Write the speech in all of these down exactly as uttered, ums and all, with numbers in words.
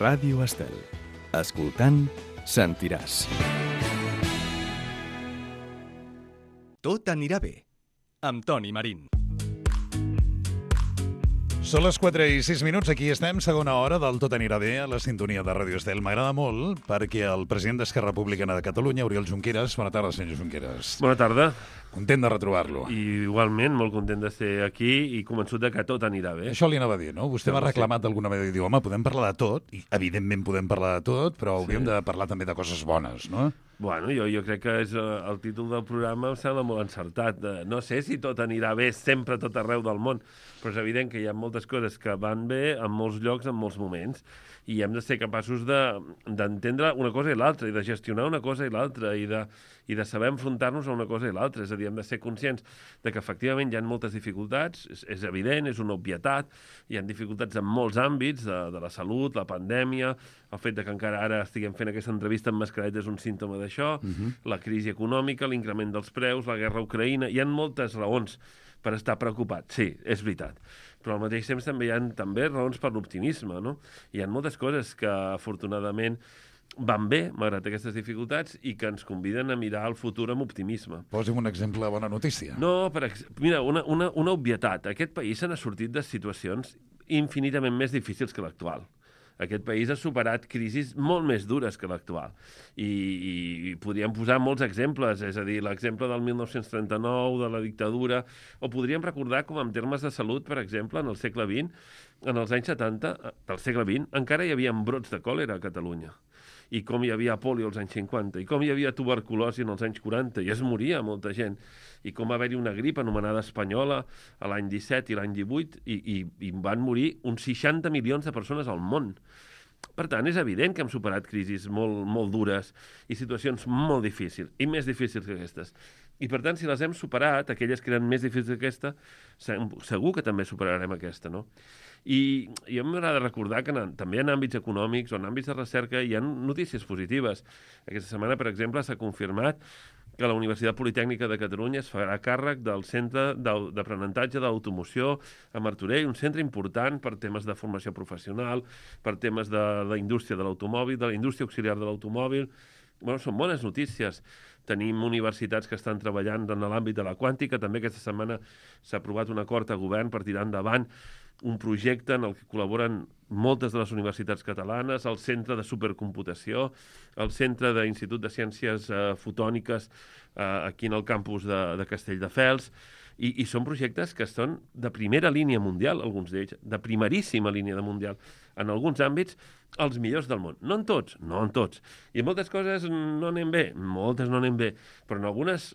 Ràdio Estel. Escoltant, sentiràs. Tot anirà bé, amb Toni Marín. Són les quatre i sis minuts, aquí estem, segona hora del Tot anirà bé a la sintonia de Ràdio Estel. M'agrada molt perquè el president d'Esquerra Republicana de Catalunya, Oriol Junqueras... Bona tarda, senyor Junqueras. Bona tarda. Content de retrobar-lo. I igualment, molt content de ser aquí i convençut de que tot anirà bé. Això li anava a dir, no? Vostè m'ha reclamat d'alguna manera i diu, home, podem parlar de tot, i evidentment podem parlar de tot, però hauríem sí. de parlar també de coses bones, no? Bueno, jo, jo crec que és, el títol del programa em sembla molt encertat. No sé si tot anirà bé sempre a tot arreu del món, però és evident que hi ha moltes coses que van bé en molts llocs, en molts moments, i hem de ser capaços d'entendre de, una cosa i l'altra, i de gestionar una cosa i l'altra, i de, i de saber enfrontar-nos a una cosa i l'altra. És a dir, hem de ser conscients de que efectivament hi ha moltes dificultats, és, és evident, és una obvietat, hi ha dificultats en molts àmbits, de, de la salut, la pandèmia, el fet de que encara ara estiguem fent aquesta entrevista amb mascareta és un símptoma d'això, uh-huh. la crisi econòmica, l'increment dels preus, la guerra a Ucraïna, hi ha moltes raons per estar preocupat, sí, és veritat. Però al mateix temps també hi ha també raons per l'optimisme, no? Hi ha moltes coses que, afortunadament, van bé, malgrat aquestes dificultats, i que ens conviden a mirar el futur amb optimisme. Posi'm un exemple de bona notícia. No, per ex... mira, una, una, una obvietat. Aquest país se n'ha sortit de situacions infinitament més difícils que l'actual. Aquest país ha superat crisis molt més dures que l'actual. I, i, i podríem posar molts exemples, és a dir, l'exemple del mil nou-cents trenta-nou, de la dictadura, o podríem recordar com en termes de salut, per exemple, en el segle vint, en els anys setanta del segle vint, encara hi havia brots de còlera a Catalunya. I com hi havia pòlio als anys cinquanta, i com hi havia tuberculosi en els anys quaranta, i es moria molta gent, i com va haver-hi una grip anomenada espanyola a l'any disset i l'any divuit, i, i, i van morir uns seixanta milions de persones al món. Per tant, és evident que hem superat crisis molt, molt dures i situacions molt difícils, i més difícils que aquestes. I, per tant, si les hem superat, aquelles que eren més difícils que aquesta, segur que també superarem aquesta, no? I, i a mi m'agrada recordar que en, també en àmbits econòmics o en àmbits de recerca hi ha notícies positives. Aquesta setmana, per exemple, s'ha confirmat que la Universitat Politècnica de Catalunya es farà càrrec del Centre d'Aprenentatge d'Automoció a Martorell, un centre important per temes de formació professional, per temes de la indústria de l'automòbil, de la indústria auxiliar de l'automòbil. Bueno, són bones notícies. Tenim universitats que estan treballant en l'àmbit de la quàntica. També aquesta setmana s'ha aprovat un acord a govern per tirar endavant un projecte en el que col·laboren moltes de les universitats catalanes, el Centre de Supercomputació, el Centre d'Institut de Ciències eh, Fotòniques eh, aquí en el campus de, de Castelldefels, i, i són projectes que són de primera línia mundial, alguns d'ells, de primeríssima línia de mundial, en alguns àmbits, els millors del món. No en tots, no en tots. I en moltes coses no anem bé, moltes no anem bé, però en algunes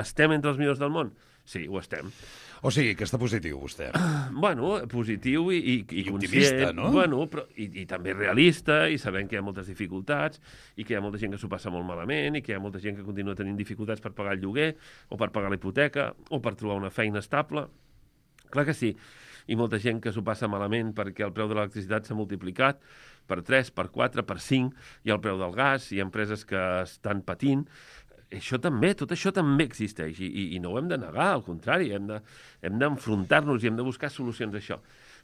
estem entre els millors del món. Sí, ho estem. O sigui, que està positiu, vostè. Bueno, positiu i, i, i, I optimista, no? Bueno, però, i, i també realista, i sabent que hi ha moltes dificultats, i que hi ha molta gent que s'ho passa molt malament, i que hi ha molta gent que continua tenint dificultats per pagar el lloguer, o per pagar la hipoteca, o per trobar una feina estable. Clar que sí. I molta gent que s'ho passa malament perquè el preu de l'electricitat s'ha multiplicat per tres, per quatre, per cinc, i el preu del gas, i empreses que estan patint. Això també, tot això també existeix, i, i, i no ho hem de negar, al contrari, hem de, hem d'enfrontar-nos i hem de buscar solucions a això.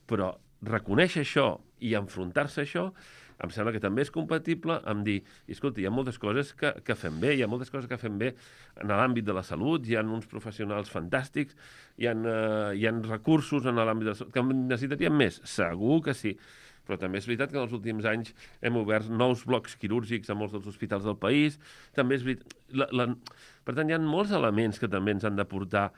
Però reconèixer això i enfrontar-se a això em sembla que també és compatible amb dir, escolta, hi ha moltes coses que, que fem bé, hi ha moltes coses que fem bé en l'àmbit de la salut, hi ha uns professionals fantàstics, hi ha, uh, hi ha recursos en l'àmbit de la salut, que necessitaríem més, segur que sí. Però també és veritat que en els últims anys hem obert nous blocs quirúrgics a molts dels hospitals del país. També és veritat... La, la... Per tant, hi ha molts elements que també ens han de portar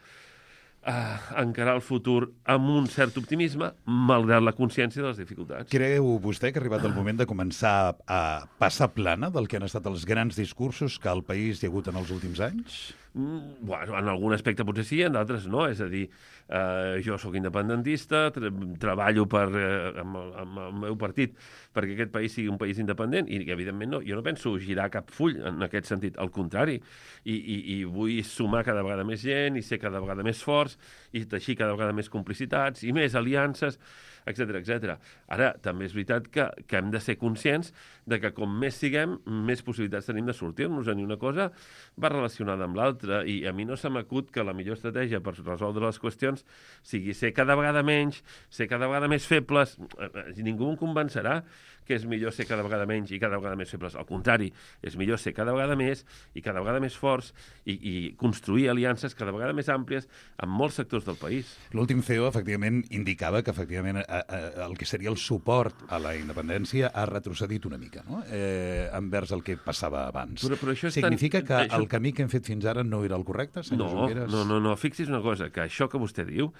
a encarar el futur amb un cert optimisme, malgrat la consciència de les dificultats. Creu vostè que ha arribat el moment de començar a passar plana del que han estat els grans discursos que al país hi ha hagut en els últims anys? Mm, bueno, en algun aspecte potser sí, en d'altres no. És a dir, eh, jo sóc independentista, tra treballo per, eh, amb, el, amb el meu partit perquè aquest país sigui un país independent i, evidentment, no, jo no penso girar cap full en aquest sentit, al contrari. I, i, i vull sumar cada vegada més gent i ser cada vegada més forts i teixir cada vegada més complicitats i més aliances. etcètera, etcètera. Ara, també és veritat que, que hem de ser conscients de que com més siguem, més possibilitats tenim de sortir-nos-en, i una cosa va relacionada amb l'altra, i a mi no se m'acut que la millor estratègia per resoldre les qüestions sigui ser cada vegada menys, ser cada vegada més febles. Ningú em convencerà que és millor ser cada vegada menys i cada vegada més febles. Al contrari, és millor ser cada vegada més i cada vegada més forts i, i construir aliances cada vegada més àmplies en molts sectors del país. L'últim C E O, efectivament, indicava que efectivament a, a, el que seria el suport a la independència ha retrocedit una mica, no? Eh, envers el que passava abans. Però, però això Significa tan... que això... el camí que hem fet fins ara no era el correcte, senyor no, Junqueras? No, no, no. Fixi's una cosa, que això que vostè diu,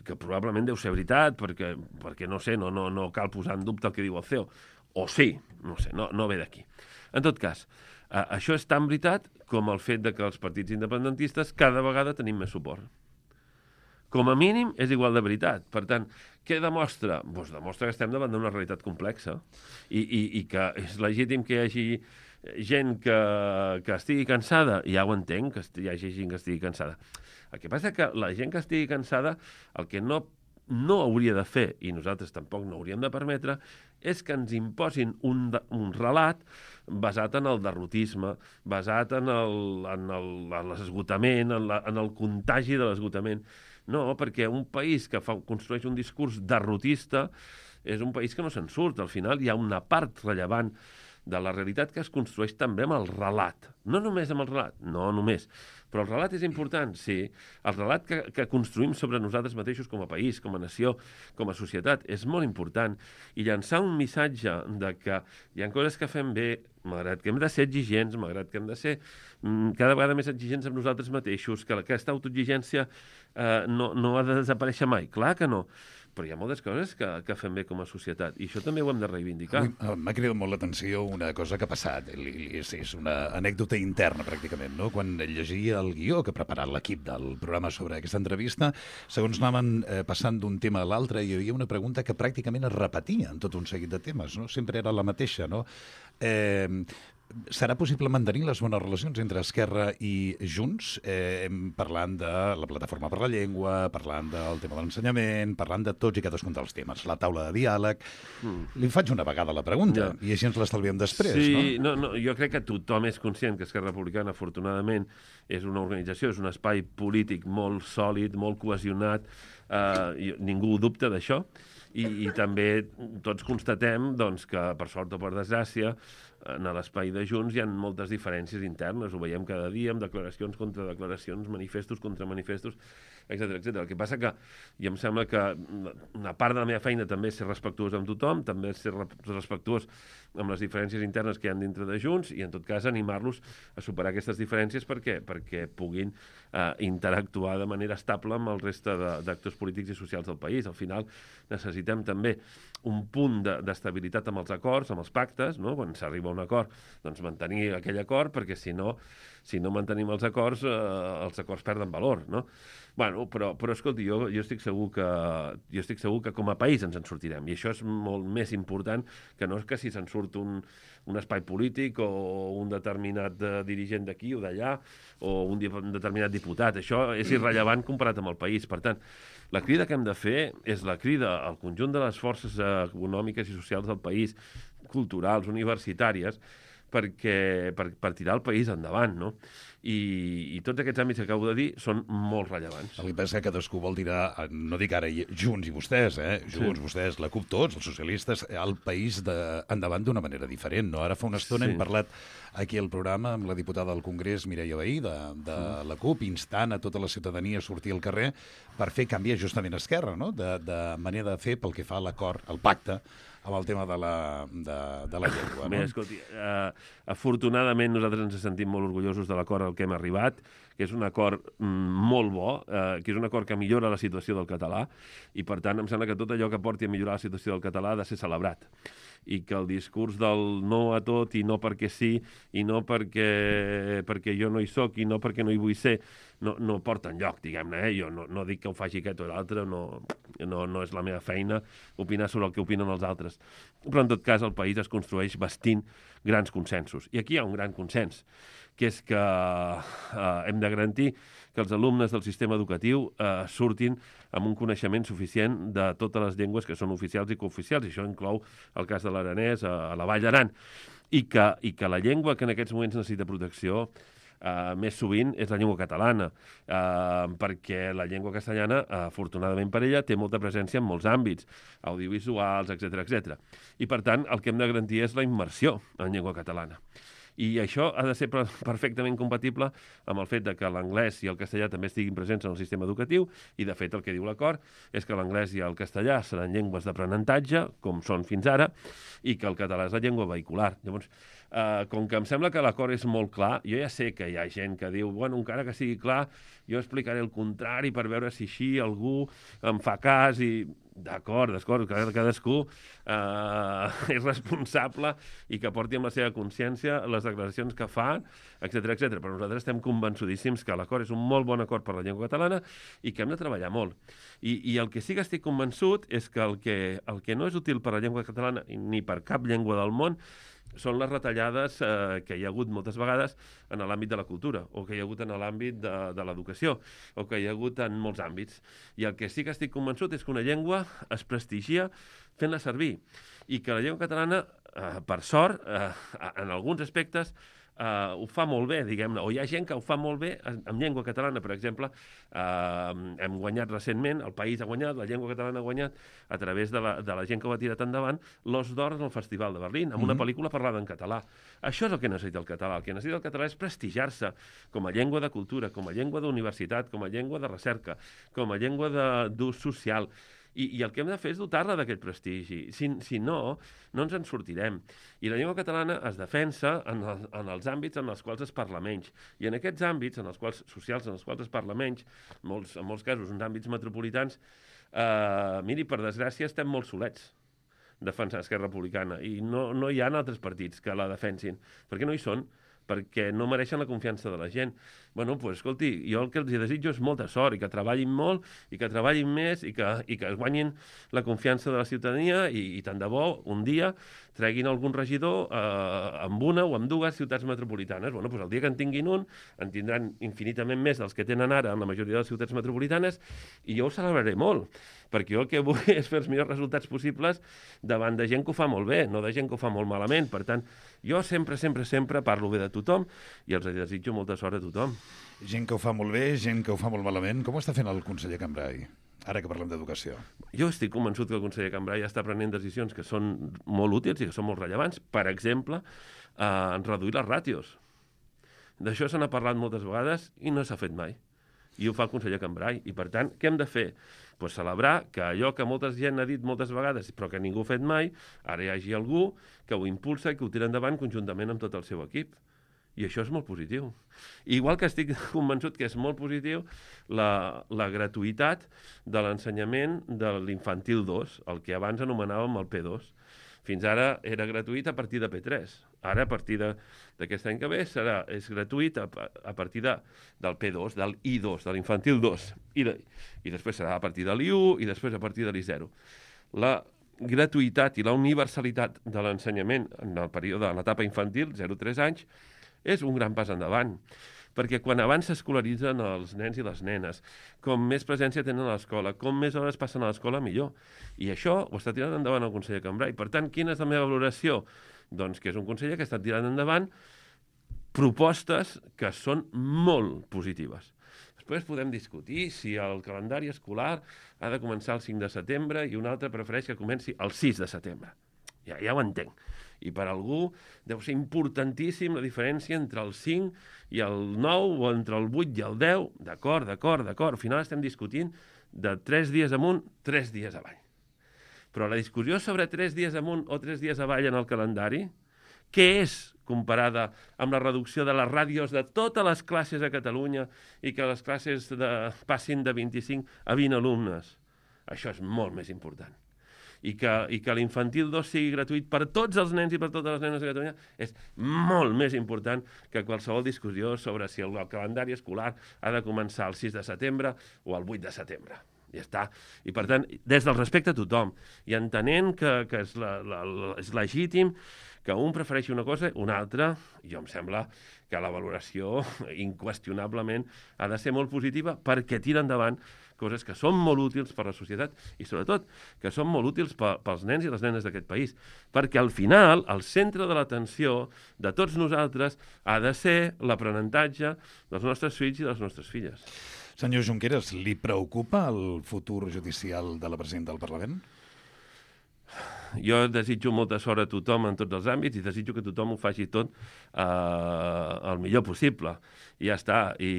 que probablement deu ser veritat, perquè, perquè no sé, no, no, no cal posar en dubte el que diu el C E O. O sí, no sé, no, no ve d'aquí. En tot cas, eh, això és tan veritat com el fet de que els partits independentistes cada vegada tenim més suport. Com a mínim, és igual de veritat. Per tant, què demostra? Doncs demostra que estem davant d'una realitat complexa i, i, i que és legítim que hi hagi gent que, que estigui cansada. Ja ho entenc, que hi hagi gent que estigui cansada. El que passa que la gent que estigui cansada, el que no no hauria de fer, i nosaltres tampoc no hauríem de permetre, és que ens imposin un, de, un relat basat en el derrotisme, basat en el, en el, en l'esgotament, en, la, en el contagi de l'esgotament. No, perquè un país que fa, construeix un discurs derrotista és un país que no se'n surt. Al final hi ha una part rellevant de la realitat que es construeix també amb el relat. No només amb el relat, no només. Però el relat és important, sí. El relat que, que construïm sobre nosaltres mateixos com a país, com a nació, com a societat, és molt important. I llançar un missatge de que hi ha coses que fem bé, malgrat que hem de ser exigents, malgrat que hem de ser mm, cada vegada més exigents amb nosaltres mateixos, que aquesta autoexigència eh, no, no ha de desaparèixer mai. Clar que no. Però hi ha moltes coses que, que fem bé com a societat, i això també ho hem de reivindicar. M'ha cridat molt l'atenció una cosa que ha passat, és, és una anècdota interna, pràcticament, no? Quan llegia el guió que ha preparat l'equip del programa sobre aquesta entrevista, segons anaven eh, passant d'un tema a l'altre, hi havia una pregunta que pràcticament es repetia en tot un seguit de temes, no? Sempre era la mateixa, no? Eh, serà possible mantenir les bones relacions entre Esquerra i Junts, eh, parlant de la plataforma per la llengua, parlant del tema de l'ensenyament, parlant de tots i cadascun dels temes, la taula de diàleg. Mm. Li faig una vegada la pregunta, ja. I així ens l'estalviem després, sí, no? no? No, jo crec que tothom és conscient que Esquerra Republicana, afortunadament, és una organització, és un espai polític molt sòlid, molt cohesionat, eh, ningú dubta d'això, i, i també tots constatem doncs, que, per sort o per desgràcia, en l'espai de Junts hi ha moltes diferències internes, ho veiem cada dia, amb declaracions contra declaracions, manifestos contra manifestos, etcètera, etcètera. El que passa que, i em sembla que una part de la meva feina també és ser respectuós amb tothom, també és ser respectuós amb les diferències internes que hi ha dintre de Junts, i en tot cas animar-los a superar aquestes diferències. Per què? Perquè puguin eh, interactuar de manera estable amb el reste d'actors polítics i socials del país. Al final necessitem també un punt d'estabilitat amb els acords, amb els pactes, no? Quan s'arriba a un acord, doncs mantenir aquell acord, perquè si no, si no mantenim els acords, eh, els acords perden valor, no? Bueno, però, però escolti, jo, jo, estic segur que, jo estic segur que com a país ens en sortirem, i això és molt més important que no és que si se'n surt un, un espai polític o un determinat uh, dirigent d'aquí o d'allà o un, un determinat diputat. Això és irrellevant comparat amb el país. Per tant, la crida que hem de fer és la crida al conjunt de les forces econòmiques i socials del país, culturals, universitàries, perquè, per, per tirar el país endavant, no? I, i tots aquests àmbits que acabo de dir són molt rellevants. El que passa que cadascú vol tirar, no dic ara Junts i vostès, eh? Junts, sí. Vostès, la CUP, tots, els socialistes, el país de, endavant d'una manera diferent, no? Ara fa una estona sí. hem parlat aquí al programa amb la diputada del Congrés, Mireia Vehí, de, de sí. la CUP, instant a tota la ciutadania a sortir al carrer per fer canviar justament Esquerra, no? De, de manera de fer pel que fa a l'acord, al pacte, amb el tema de la, de, de la llengua. Bé, no? escolti, uh, afortunadament nosaltres ens sentim molt orgullosos de l'acord al que hem arribat, que és un acord mm, molt bo, uh, que és un acord que millora la situació del català, i per tant em sembla que tot allò que porti a millorar la situació del català ha de ser celebrat, i que el discurs del no a tot i no perquè sí, i no perquè, perquè jo no hi soc i no perquè no hi vull ser, no, no porta enlloc, diguem-ne. Eh? Jo no, no dic que ho faci aquest o l'altre, no, no, no és la meva feina opinar sobre el que opinen els altres. Però, en tot cas, el país es construeix bastint grans consensos. I aquí hi ha un gran consens, que és que eh, hem de garantir que els alumnes del sistema educatiu eh, surtin amb un coneixement suficient de totes les llengües que són oficials i cooficials, i això inclou el cas de l'aranès a, a la Vall d'Aran, i que, i que la llengua que en aquests moments necessita protecció Uh, més sovint és la llengua catalana, uh, perquè la llengua castellana, uh, afortunadament per ella, té molta presència en molts àmbits, audiovisuals, etcètera, etcètera. I, per tant, el que hem de garantir és la immersió en llengua catalana. I això ha de ser perfectament compatible amb el fet de que l'anglès i el castellà també estiguin presents en el sistema educatiu, i, de fet, el que diu l'acord és que l'anglès i el castellà seran llengües d'aprenentatge, com són fins ara, i que el català és la llengua vehicular. Llavors, Uh, com que em sembla que l'acord és molt clar, jo ja sé que hi ha gent que diu, bueno, encara que sigui clar, jo explicaré el contrari per veure si així algú em fa cas i... D'acord, d'acord, cadascú uh, és responsable i que porti amb la seva consciència les declaracions que fa, etcètera, etcètera. Però nosaltres estem convençudíssims que l'acord és un molt bon acord per la llengua catalana i que hem de treballar molt. I, i el que sí que estic convençut és que el, que el que no és útil per la llengua catalana ni per cap llengua del món són les retallades eh, que hi ha hagut moltes vegades en l'àmbit de la cultura, o que hi ha hagut en l'àmbit de, de l'educació, o que hi ha hagut en molts àmbits. I el que sí que estic convençut és que una llengua es prestigia fent-la servir, i que la llengua catalana, eh, per sort, eh, en alguns aspectes, Uh, ho fa molt bé, diguem-ne, o hi ha gent que ho fa molt bé en, en llengua catalana, per exemple, uh, hem guanyat recentment, el país ha guanyat, la llengua catalana ha guanyat, a través de la, de la gent que ho ha tirat endavant, l'Os d'Or en el Festival de Berlín, amb una mm-hmm. pel·lícula parlada en català. Això és el que necessita el català. El que necessita el català és prestigiar-se com a llengua de cultura, com a llengua d'universitat, com a llengua de recerca, com a llengua d'ús social. I, I el que hem de fer és dotar-la d'aquest prestigi. Si, si no, no ens en sortirem. I la llengua catalana es defensa en, el, en els àmbits en els quals es parla menys. I en aquests àmbits, en els quals socials, en els quals es parla menys, molts, en molts casos, en àmbits metropolitans, eh, miri, per desgràcia, estem molt solets defensant Esquerra Republicana. I no, no hi ha altres partits que la defensin, perquè no hi són, perquè no mereixen la confiança de la gent. Bueno, doncs, pues, escolti, jo el que els desitjo és molta sort, i que treballin molt, i que treballin més, i que, i que guanyin la confiança de la ciutadania, i, i tant de bo, un dia, treguin algun regidor eh, amb una o amb dues ciutats metropolitanes. Bueno, doncs el dia que en tinguin un, en tindran infinitament més dels que tenen ara en la majoria de les ciutats metropolitanes, i jo ho celebraré molt, perquè jo el que vull és fer els millors resultats possibles davant de gent que ho fa molt bé, no de gent que ho fa molt malament. Per tant, jo sempre, sempre, sempre parlo bé de tothom i els desitjo molta sort a tothom. Gent que ho fa molt bé, gent que ho fa molt malament. Com ho està fent el conseller Cambray, ara que parlem d'educació? Jo estic convençut que el conseller Cambray està prenent decisions que són molt útils i que són molt rellevants. Per exemple, eh, reduir les ràtios. D'això se n'ha parlat moltes vegades i no s'ha fet mai. I ho fa el conseller Cambray. I, per tant, què hem de fer? Pues celebrar que allò que molta gent ha dit moltes vegades, però que ningú ha fet mai, ara hi hagi algú que ho impulsa i que ho tira endavant conjuntament amb tot el seu equip. I això és molt positiu. Igual que estic convençut que és molt positiu la, la gratuïtat de l'ensenyament de l'infantil dos, el que abans anomenàvem el P dos. Fins ara era gratuït a partir de P tres. Ara, a partir d'aquest any que ve, serà, és gratuït a, a partir de, del P dos, del I dos, de l'infantil dos. I, de, I després serà a partir de l'I u i després a partir de l'I zero. La gratuïtat i la universalitat de l'ensenyament en el període de l'etapa infantil, zero a tres anys, és un gran pas endavant. Perquè quan abans s'escolaritzen els nens i les nenes, com més presència tenen a l'escola, com més hores passen a l'escola, millor. I això ho està tirant endavant el conseller Cambray. Per tant, quina és la meva valoració? Doncs que és un conseller que està tirant endavant propostes que són molt positives. Després podem discutir si el calendari escolar ha de començar el cinc de setembre i un altre prefereix que comenci el sis de setembre. Ja, ja ho entenc. I per algú deu ser importantíssim la diferència entre el cinc i el nou o entre el vuit i el deu. D'acord, d'acord, d'acord. Al final estem discutint de tres dies amunt, tres dies avall. Però la discussió sobre tres dies amunt o tres dies avall en el calendari, què és comparada amb la reducció de les ràdios de totes les classes a Catalunya i que les classes de, passin de vint-i-cinc a vint alumnes? Això és molt més important. I que, i que l'infantil dos sigui gratuït per tots els nens i per totes les nenes de Catalunya és molt més important que qualsevol discussió sobre si el calendari escolar ha de començar el sis de setembre o el vuit de setembre. ja està. I, per tant, des del respecte a tothom, i entenent que, que és, la, la, la, és legítim que un prefereixi una cosa, una altra, jo em sembla que la valoració, inqüestionablement, ha de ser molt positiva perquè tira endavant coses que són molt útils per a la societat i, sobretot, que són molt útils pels nens i les nenes d'aquest país. Perquè, al final, el centre de l'atenció de tots nosaltres ha de ser l'aprenentatge dels nostres fills i de les nostres filles. Senyor Junqueras, li preocupa el futur judicial de la presidenta del Parlament? Jo desitjo molta sort a tothom en tots els àmbits i desitjo que tothom ho faci tot eh, el millor possible. I ja està. I,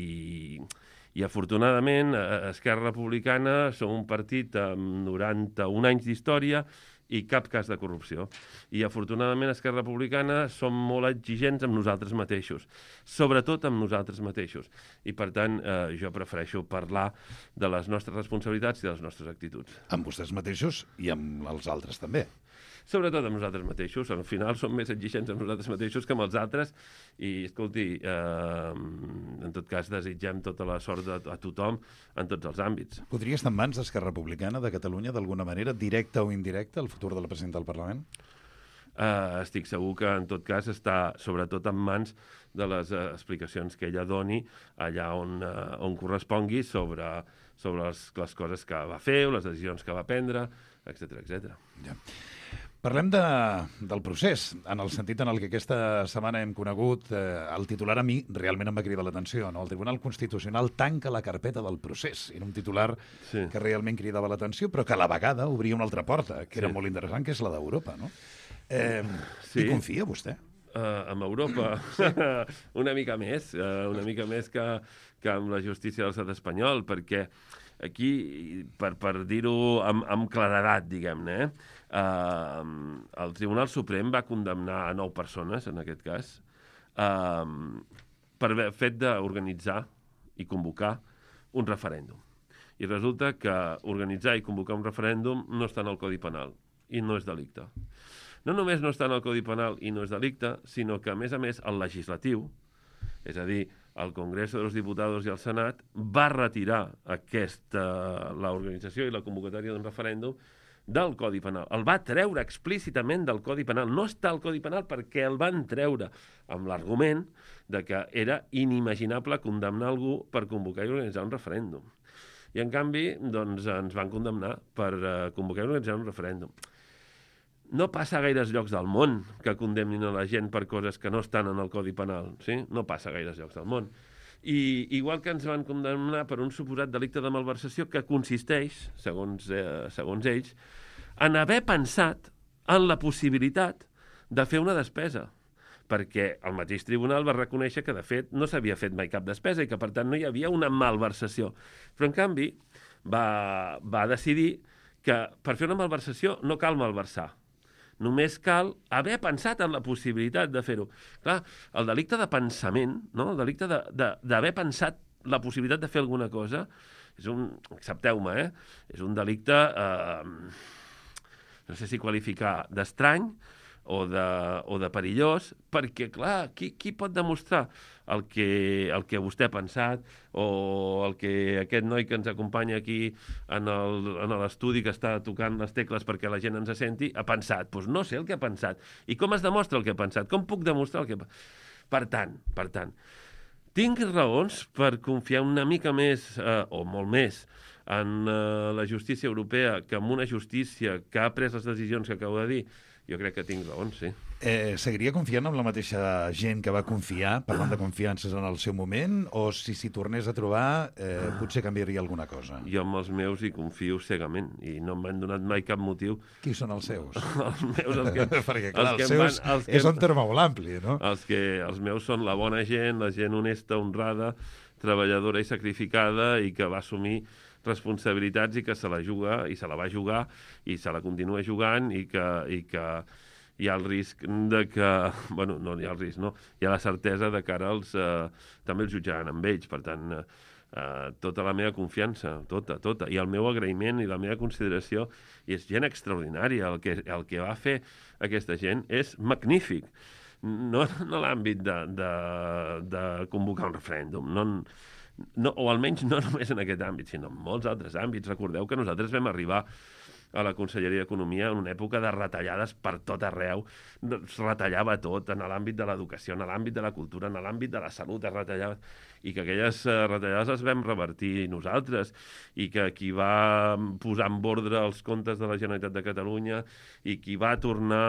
i, i afortunadament, Esquerra Republicana som un partit amb noranta-un anys d'història i cap cas de corrupció. I, afortunadament, Esquerra Republicana som molt exigents amb nosaltres mateixos, sobretot amb nosaltres mateixos. I, per tant, eh, jo prefereixo parlar de les nostres responsabilitats i de les nostres actituds. Amb vostès mateixos i amb els altres també. Sobretot amb nosaltres mateixos. Al final som més exigents amb nosaltres mateixos que amb els altres i, escolti, eh, en tot cas desitgem tota la sort a, a tothom en tots els àmbits. Podria estar en mans d'Esquerra Republicana de Catalunya d'alguna manera, directa o indirecta, el futur de la presidenta del Parlament? Uh, estic segur que, en tot cas, està sobretot en mans de les uh, explicacions que ella doni allà on, uh, on correspongui sobre, sobre les, les coses que va fer o les decisions que va prendre, etcètera, etcètera. Ja. Parlem de, del procés, en el sentit en el que aquesta setmana hem conegut, eh, el titular a mi realment em va cridar l'atenció, no? El Tribunal Constitucional tanca la carpeta del procés. Era un titular sí. que realment cridava l'atenció, però que a la vegada obria una altra porta, que era sí. molt interessant, que és la d'Europa, no? Eh, sí. Hi confia vostè? Uh, amb Europa, una mica més, uh, una mica més que, que amb la justícia de l'estat espanyol, perquè aquí, per, per dir-ho amb, amb claredat, diguem-ne, eh, uh, el Tribunal Suprem va condemnar a nou persones, en aquest cas, uh, per el fet d'organitzar i convocar un referèndum. I resulta que organitzar i convocar un referèndum no està en el Codi Penal i no és delicte. No només no està en el Codi Penal i no és delicte, sinó que, a més a més, el legislatiu, és a dir, el Congreso de los Diputados i el Senat, va retirar aquesta, l'organització i la convocatòria d'un referèndum del Codi Penal. El va treure explícitament del Codi Penal. No està al Codi Penal perquè el van treure amb l'argument de que era inimaginable condemnar algú per convocar i organitzar un referèndum. I, en canvi, doncs, ens van condemnar per uh, convocar i organitzar un referèndum. No passa a gaires llocs del món que condemnin a la gent per coses que no estan en el Codi Penal, sí? No passa a gaires llocs del món. I igual que ens van condemnar per un suposat delicte de malversació que consisteix, segons, eh, segons ells, en haver pensat en la possibilitat de fer una despesa, perquè el mateix tribunal va reconèixer que, de fet, no s'havia fet mai cap despesa i que, per tant, no hi havia una malversació. Però, en canvi, va, va decidir que per fer una malversació no cal malversar. Només cal haver pensat en la possibilitat de fer-ho. Clar, el delicte de pensament, no? El delicte d'haver pensat la possibilitat de fer alguna cosa, és un, accepteu-me, eh? És un delicte, eh, no sé si qualificar d'estrany o de, o de perillós, perquè, clar, qui, qui pot demostrar el que, el que vostè ha pensat o el que aquest noi que ens acompanya aquí en l'estudi que està tocant les tecles perquè la gent ens senti ha pensat? Doncs no sé el que ha pensat. I com es demostra el que ha pensat? Com puc demostrar el que ha pensat? Per tant, per tant, tinc raons per confiar una mica més, eh, o molt més, en eh, la justícia europea que en una justícia que ha pres les decisions que acabo de dir. Jo crec que tinc raons, sí. Eh, seguiria confiant en la mateixa gent que va confiar, parlant de confiances en el seu moment, o si s'hi tornés a trobar, eh, potser canviaria alguna cosa? Jo amb els meus hi confio cegament, i no m'han donat mai cap motiu. Qui són els seus? Els meus, els que... Perquè, clar, els, els seus van, els que, és un terme molt ampli, no? Els, que, els meus són la bona gent, la gent honesta, honrada, treballadora i sacrificada, i que va assumir responsabilitats i que se la juga, i se la va jugar, i se la continua jugant, i que, i que hi ha el risc de que... Bueno, no hi ha el risc, no? Hi ha la certesa de que ara els, eh, també els jutjaran amb ells. Per tant, eh, tota la meva confiança, tota, tota, i el meu agraïment i la meva consideració, i és gent extraordinària. El que, el que va fer aquesta gent és magnífic. No en l'àmbit de, de, de convocar un referèndum, no en, no, o almenys no només en aquest àmbit, sinó en molts altres àmbits. Recordeu que nosaltres vam arribar a la Conselleria d'Economia en una època de retallades per tot arreu. Es retallava tot, en l'àmbit de l'educació, en l'àmbit de la cultura, en l'àmbit de la salut, es retallava. I que aquelles retallades les vam revertir nosaltres, i que qui va posar en ordre els comptes de la Generalitat de Catalunya i qui va tornar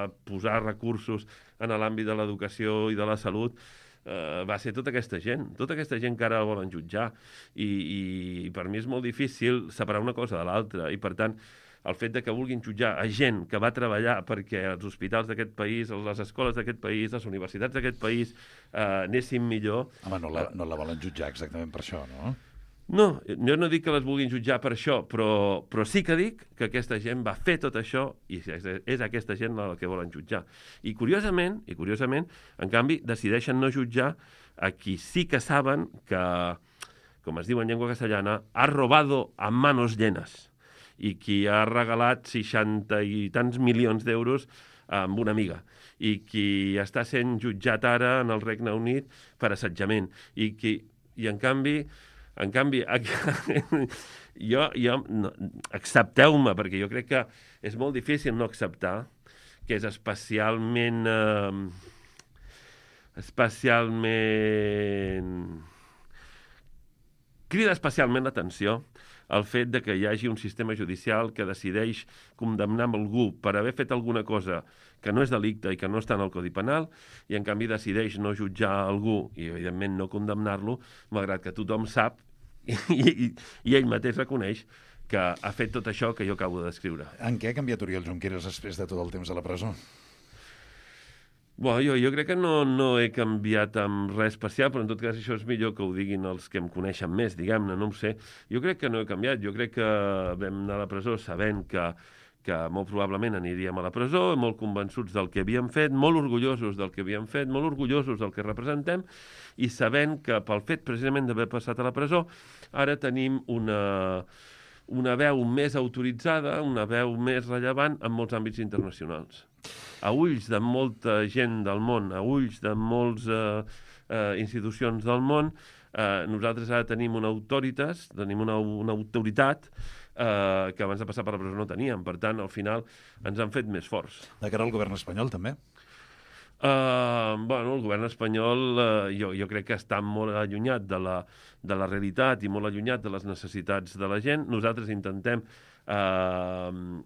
a posar recursos en l'àmbit de l'educació i de la salut Uh, va ser tota aquesta gent, tota aquesta gent que ara volen jutjar, i, i per mi és molt difícil separar una cosa de l'altra, i per tant el fet de que vulguin jutjar a gent que va treballar perquè els hospitals d'aquest país, les escoles d'aquest país, les universitats d'aquest país uh, anessin millor... Home, no la, no la volen jutjar exactament per això, no? No, jo no dic que les vulguin jutjar per això, però, però sí que dic que aquesta gent va fer tot això i és aquesta gent la que volen jutjar. I curiosament, i curiosament, en canvi, decideixen no jutjar a qui sí que saben que, com es diu en llengua castellana, ha robado a manos llenas, i qui ha regalat seixanta i tants milions d'euros amb una amiga, i qui està sent jutjat ara en el Regne Unit per assetjament, i, qui, i en canvi... En canvi, jo, jo no, accepteu-me, perquè jo crec que és molt difícil no acceptar que és especialment... Eh, especialment... crida especialment l'atenció el fet de que hi hagi un sistema judicial que decideix condemnar algú per haver fet alguna cosa que no és delicte i que no està en el Codi Penal, i en canvi decideix no jutjar algú i, evidentment, no condemnar-lo, malgrat que tothom sap i, i, i ell mateix reconeix que ha fet tot això que jo acabo de descriure. En què ha canviat Oriol Junqueras després de tot el temps a la presó? Bueno, jo, jo crec que no, no he canviat amb res especial, però en tot cas això és millor que ho diguin els que em coneixen més, diguem-ne, no ho sé. Jo crec que no he canviat, jo crec que vam anar a la presó sabent que que molt probablement aniríem a la presó, molt convençuts del que havíem fet, molt orgullosos del que havíem fet, molt orgullosos del que representem, i sabent que pel fet precisament d'haver passat a la presó, ara tenim una, una veu més autoritzada, una veu més rellevant en molts àmbits internacionals. A ulls de molta gent del món, a ulls de moltes eh, eh, institucions del món, eh, nosaltres ara tenim una autoritas, tenim una, una autoritat Uh, que abans de passar per la presó no teníem. Per tant, al final, ens han fet més forts. De cara al govern espanyol, també? Uh, bueno, el govern espanyol uh, jo, jo crec que està molt allunyat de la, de la realitat i molt allunyat de les necessitats de la gent. Nosaltres intentem uh,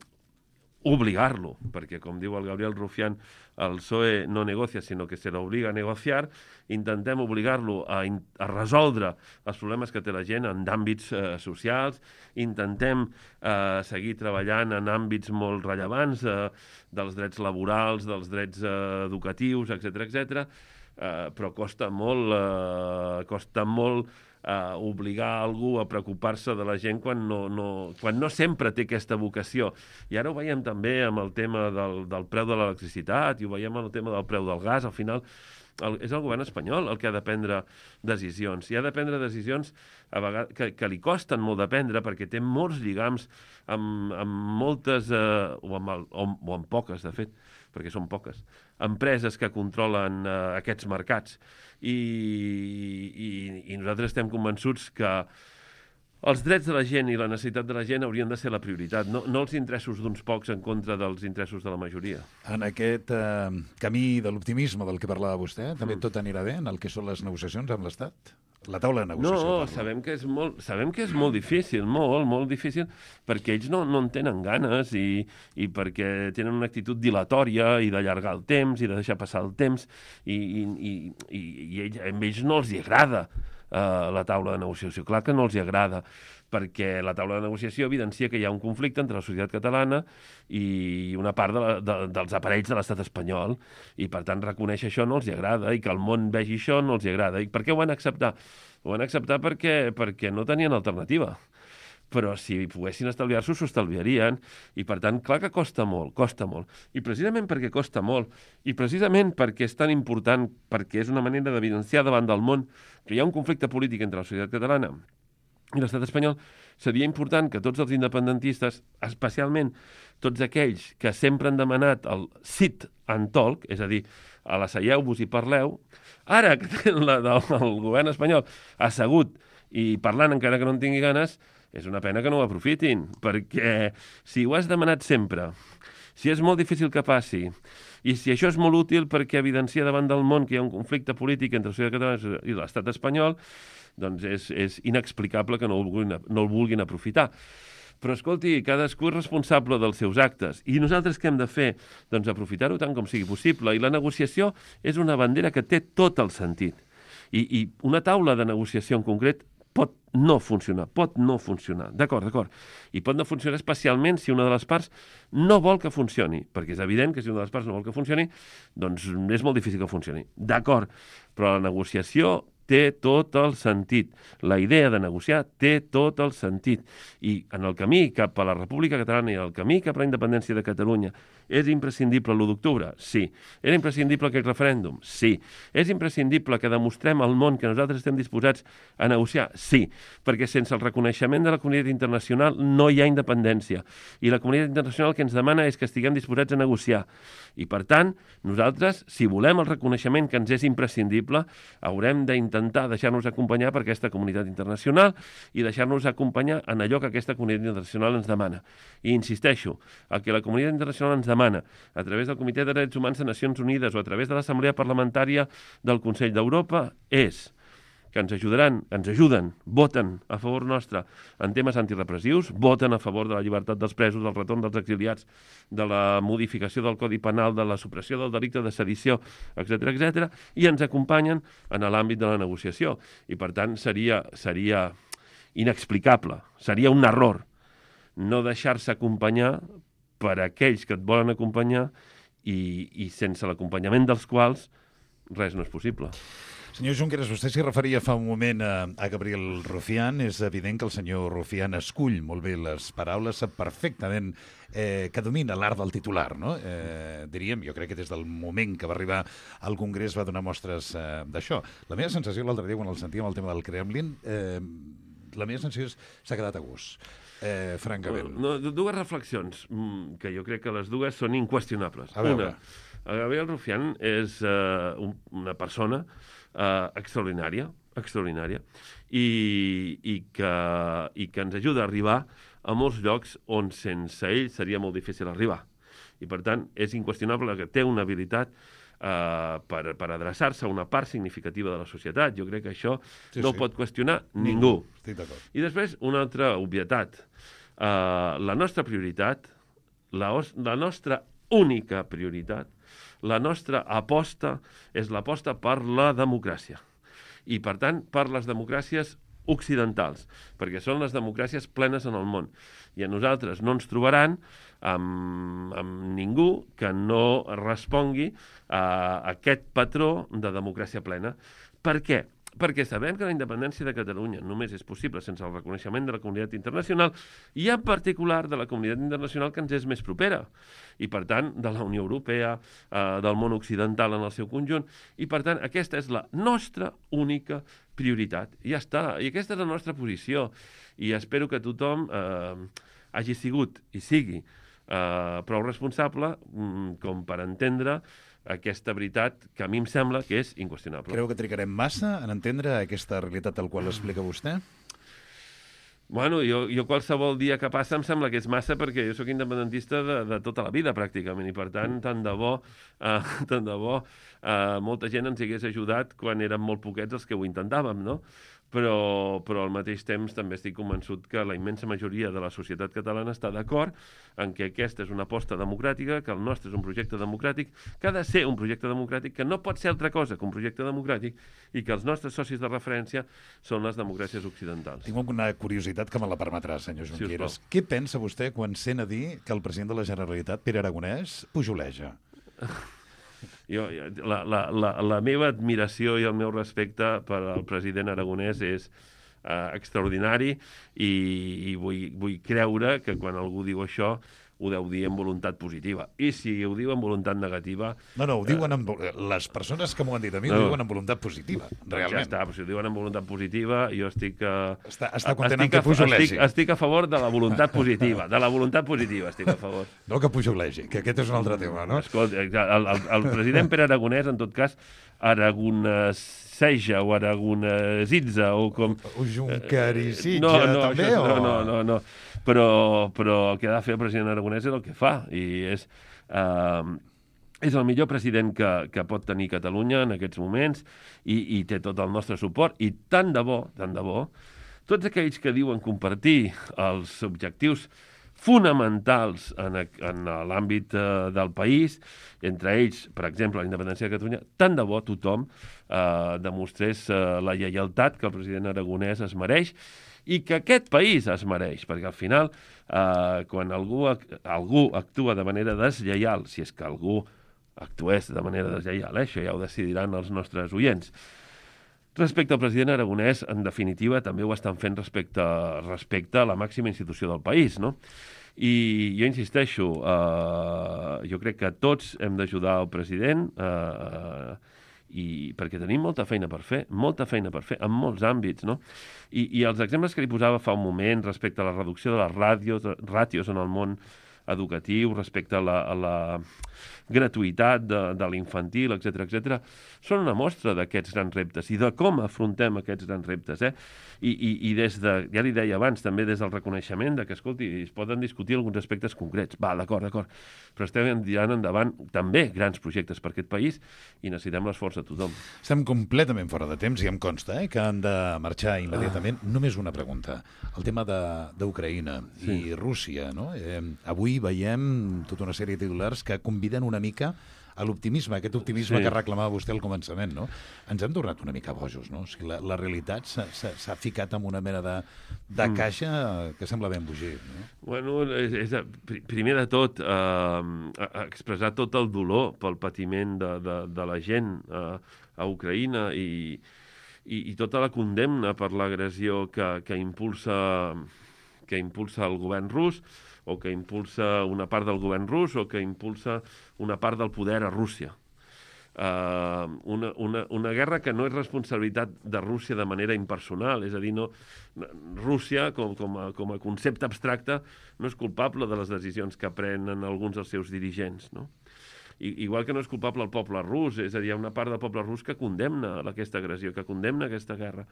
obligar-lo, perquè, com diu el Gabriel Rufián, el P S O E no negocia, sinó que se l'obliga a negociar. Intentem obligar-lo a, a resoldre els problemes que té la gent en àmbits eh, socials. Intentem eh, seguir treballant en àmbits molt rellevants eh, dels drets laborals, dels drets eh, educatius, etcètera, etcètera. Eh, però costa molt, eh, costa molt Uh, obligar algú a preocupar-se de la gent quan no, no, quan no sempre té aquesta vocació. I ara ho veiem també amb el tema del, del preu de l'electricitat, i ho veiem amb el tema del preu del gas. Al final el, és el govern espanyol el que ha de prendre decisions. I ha de prendre decisions a vegades, que, que li costen molt de prendre, perquè té molts lligams amb, amb moltes, uh, o, amb el, o, o amb poques, de fet, perquè són poques, empreses que controlen uh, aquests mercats. I, i, i nosaltres estem convençuts que els drets de la gent i la necessitat de la gent haurien de ser la prioritat, no, no els interessos d'uns pocs en contra dels interessos de la majoria. En aquest eh, camí de l'optimisme del que parlava vostè, també tot anirà bé en el que són les negociacions amb l'Estat? La taula de negociació. No, parla. sabem que és molt, sabem que és molt difícil, molt, molt difícil, perquè ells no, no en tenen ganes i, i perquè tenen una actitud dilatòria i d'allargar el temps i de deixar passar el temps, i, i, i, i, i ells, a ells no els hi agrada Uh, la taula de negociació. Clar que no els hi agrada, perquè la taula de negociació evidencia que hi ha un conflicte entre la societat catalana i una part de la, de, dels aparells de l'estat espanyol, i per tant reconèixer això no els hi agrada, i que el món vegi això no els hi agrada. I per què ho van acceptar? Ho van acceptar perquè, perquè no tenien alternativa. Però si poguessin estalviar-s'ho, s'ho estalviarien, i per tant, clar que costa molt, costa molt. I precisament perquè costa molt, i precisament perquè és tan important, perquè és una manera d'evidenciar davant del món que hi ha un conflicte polític entre la societat catalana i l'estat espanyol, seria important que tots els independentistes, especialment tots aquells que sempre han demanat el sit and talk, és a dir, a l'asseieu-vos i parleu, ara que tenen la del el govern espanyol assegut i parlant encara que no en tingui ganes, és una pena que no ho aprofitin, perquè si ho has demanat sempre, si és molt difícil que passi, i si això és molt útil perquè evidencia davant del món que hi ha un conflicte polític entre la societat catalana i l'estat espanyol, doncs és, és inexplicable que no el vulguin, no el vulguin aprofitar. Però, escolti, cadascú és responsable dels seus actes. I nosaltres què hem de fer? Doncs aprofitar-ho tant com sigui possible. I la negociació és una bandera que té tot el sentit. I, i una taula de negociació en concret pot no funcionar, pot no funcionar. D'acord, d'acord. I pot no funcionar especialment si una de les parts no vol que funcioni, perquè és evident que si una de les parts no vol que funcioni, doncs és molt difícil que funcioni. D'acord, però la negociació té tot el sentit. La idea de negociar té tot el sentit. I en el camí cap a la República Catalana i el camí cap a la independència de Catalunya és imprescindible l'u d'octubre? Sí. Era imprescindible aquest referèndum? Sí. És imprescindible que demostrem al món que nosaltres estem disposats a negociar? Sí. Perquè sense el reconeixement de la comunitat internacional no hi ha independència. I la comunitat internacional que ens demana és que estiguem disposats a negociar. I, per tant, nosaltres, si volem el reconeixement que ens és imprescindible, haurem d'intentar deixar-nos acompanyar per aquesta comunitat internacional i deixar-nos acompanyar en allò que aquesta comunitat internacional ens demana. I insisteixo, el que la comunitat internacional ens demana a través del Comitè de Drets Humans de Nacions Unides o a través de l'Assemblea Parlamentària del Consell d'Europa és que ens ajudaran, ens ajuden, voten a favor nostre en temes antirepressius, voten a favor de la llibertat dels presos, del retorn dels exiliats, de la modificació del Codi Penal, de la supressió del delicte de sedició, etcètera, etcètera, i ens acompanyen en l'àmbit de la negociació. I, per tant, seria, seria inexplicable, seria un error no deixar-se acompanyar per aquells que et volen acompanyar i, i sense l'acompanyament dels quals res no és possible. Senyor Junqueras, vostè s'hi referia fa un moment a, a Gabriel Rufián. És evident que el senyor Rufián escull molt bé les paraules, sap perfectament eh, que domina l'art del titular, no? Eh, diríem, jo crec que des del moment que va arribar al Congrés va donar mostres eh, d'això. La meva sensació l'altre dia, quan el sentíem el tema del Kremlin, eh, la meva sensació és s'ha quedat a gust. Eh, francament. No, dues reflexions, que jo crec que les dues són inqüestionables. A veure. Una, Gabriel Rufián és uh, un, una persona uh, extraordinària, extraordinària, i, i, que, i que ens ajuda a arribar a molts llocs on sense ell seria molt difícil arribar. I, per tant, és inqüestionable que té una habilitat Uh, per, per adreçar-se a una part significativa de la societat. Jo crec que això sí, no sí. ho pot qüestionar ningú. Estic d'acord. I després, una altra obvietat. Uh, la nostra prioritat, la, la nostra única prioritat, la nostra aposta és l'aposta per la democràcia. I, per tant, per les democràcies occidentals, perquè són les democràcies plenes en el món. I a nosaltres no ens trobaran amb, amb ningú que no respongui a aquest patró de democràcia plena. Per què? Perquè sabem que la independència de Catalunya només és possible sense el reconeixement de la comunitat internacional i en particular de la comunitat internacional que ens és més propera i, per tant, de la Unió Europea, eh, del món occidental en el seu conjunt. I, per tant, aquesta és la nostra única prioritat. I ja està. I aquesta és la nostra posició. I espero que tothom eh, hagi sigut i sigui eh, prou responsable mm, com per entendre aquesta veritat que a mi em sembla que és inqüestionable. Creu que trigarem massa en entendre aquesta realitat tal qual explica vostè? Bueno, jo, jo qualsevol dia que passa em sembla que és massa perquè jo sóc independentista de, de tota la vida, pràcticament, i per tant, tant de bo, eh, tant de bo eh, molta gent ens hagués ajudat quan érem molt poquets els que ho intentàvem, no? Però, però al mateix temps també estic convençut que la immensa majoria de la societat catalana està d'acord en que aquesta és una aposta democràtica, que el nostre és un projecte democràtic, que ha de ser un projecte democràtic, que no pot ser altra cosa que un projecte democràtic i que els nostres socis de referència són les democràcies occidentals. Tinc una curiositat que me la permetrà, senyor Junqueras. Sí, Què pensa vostè quan sent a dir que el president de la Generalitat, Pere Aragonès, pujoleja? Jo, la, la, la, la meva admiració i el meu respecte per al president aragonès és uh, extraordinari i, i vull, vull creure que quan algú diu això ho deu dir amb voluntat positiva. I si ho diu amb voluntat negativa... No, no, ho diuen amb... Les persones que m'ho han dit a mi no. ho diuen amb voluntat positiva, realment. Ja està, però si ho diuen amb voluntat positiva, jo estic... Uh, està, està content en que pujolegi. Estic, estic a favor de la voluntat positiva, de la voluntat positiva estic a favor. No que pujolegi, que aquest és un altre tema, no? Escolta, el, el, el president Pere Aragonès, en tot cas, aragoneseja o aragonesitza o com... O junquerisitja, no, no, també? Això, o... No, no, no, no. Però, però el que ha de fer el president aragonès és el que fa, i és... Uh, és el millor president que, que pot tenir Catalunya en aquests moments i, i té tot el nostre suport, i tant de bo, tant de bo, tots aquells que diuen compartir els objectius fonamentals en, en l'àmbit uh, del país, entre ells, per exemple, la independència de Catalunya, tant de bo tothom uh, demostrés uh, la lleialtat que el president aragonès es mereix i que aquest país es mereix, perquè al final, uh, quan algú, algú actua de manera deslleial, si és que algú actués de manera deslleial, eh? Això ja ho decidiran els nostres oients. Respecte al president aragonès, en definitiva, també ho estan fent respecte, respecte a la màxima institució del país, no? I jo insisteixo, eh, jo crec que tots hem d'ajudar el president, eh, i perquè tenim molta feina per fer, molta feina per fer, en molts àmbits, no? I, i els exemples que li posava fa un moment respecte a la reducció de les ràtios, ràtios en el món educatiu, respecte a la, a la gratuïtat de, de l'infantil, etcètera, etcètera, són una mostra d'aquests grans reptes i de com afrontem aquests grans reptes, eh? I, i, i des de, ja li deia abans, també des del reconeixement de que, escolti, es poden discutir alguns aspectes concrets. Va, d'acord, d'acord, però estem tirant endavant també grans projectes per aquest país i necessitem l'esforç de tothom. Estem completament fora de temps i em consta eh, que han de marxar immediatament. Ah. Només una pregunta. El tema d'Ucraïna sí. i Rússia, no? Eh, avui veiem tota una sèrie de titulars que conviden una mica a l'optimisme, aquest optimisme sí. que reclamava vostè al començament, no? Ens hem tornat una mica bojos, no? O sigui, la, la realitat s'ha ficat en una mena de, de caixa que sembla ben embogit, no? Bueno, és, és, primer de tot, eh, expressar tot el dolor pel patiment de, de, de la gent eh, a Ucraïna i, i, i tota la condemna per l'agressió que, que impulsa que impulsa el govern rus, o que impulsa una part del govern rus, o que impulsa una part del poder a Rússia. Uh, una, una, una guerra que no és responsabilitat de Rússia de manera impersonal, és a dir, no, Rússia, com, com, a, com a concepte abstracte, no és culpable de les decisions que prenen alguns dels seus dirigents, no? I, igual que no és culpable el poble rus, és a dir, hi ha una part del poble rus que condemna aquesta agressió, que condemna aquesta guerra.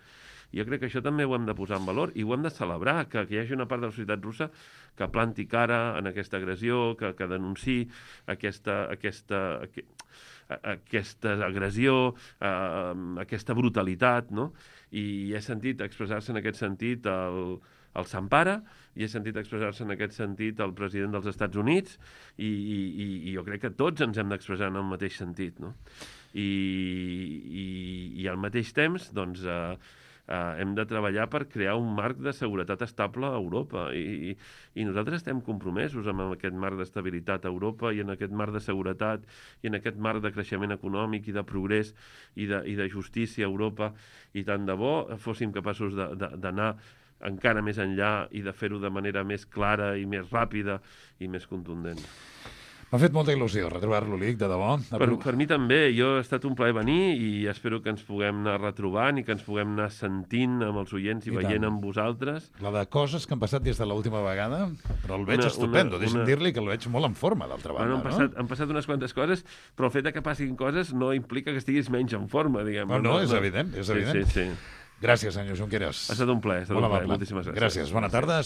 I jo crec que això també ho hem de posar en valor i ho hem de celebrar, que, que hi hagi una part de la societat russa que planti cara en aquesta agressió, que, que denunciï aquesta, aquesta, aquesta agressió, eh, aquesta brutalitat, no? I he sentit expressar-se en aquest sentit el, el Sampara, i he sentit expressar-se en aquest sentit el president dels Estats Units, i, i, i jo crec que tots ens hem d'expressar en el mateix sentit, no? I, i, i al mateix temps, doncs, eh, Uh, hem de treballar per crear un marc de seguretat estable a Europa i, i, i nosaltres estem compromesos amb aquest marc d'estabilitat a Europa i en aquest marc de seguretat i en aquest marc de creixement econòmic i de progrés i de, i de justícia a Europa, i tant de bo fóssim capaços d'anar encara més enllà i de fer-ho de manera més clara i més ràpida i més contundent. M'ha fet molta il·lusió retrobar-lo, Lic, de debò. Per, per mi també. Jo ha estat un plaer venir i espero que ens puguem anar retrobant i que ens puguem anar sentint amb els oients i, I veient tant. Amb vosaltres. La de coses que han passat des de l'última vegada, però el veig una, estupendo. Una, Deixa'm una... dir-li que el veig molt en forma, d'altra banda. Bueno, han, passat, no? han passat unes quantes coses, però el fet que passin coses no implica que estiguis menys en forma, diguem. No, no, no és no. evident, és evident. Sí, sí, sí. Gràcies, senyor Junqueras. Ha estat un plaer, ha estat un plaer. Moltíssimes gràcies. Gràcies, bona tarda.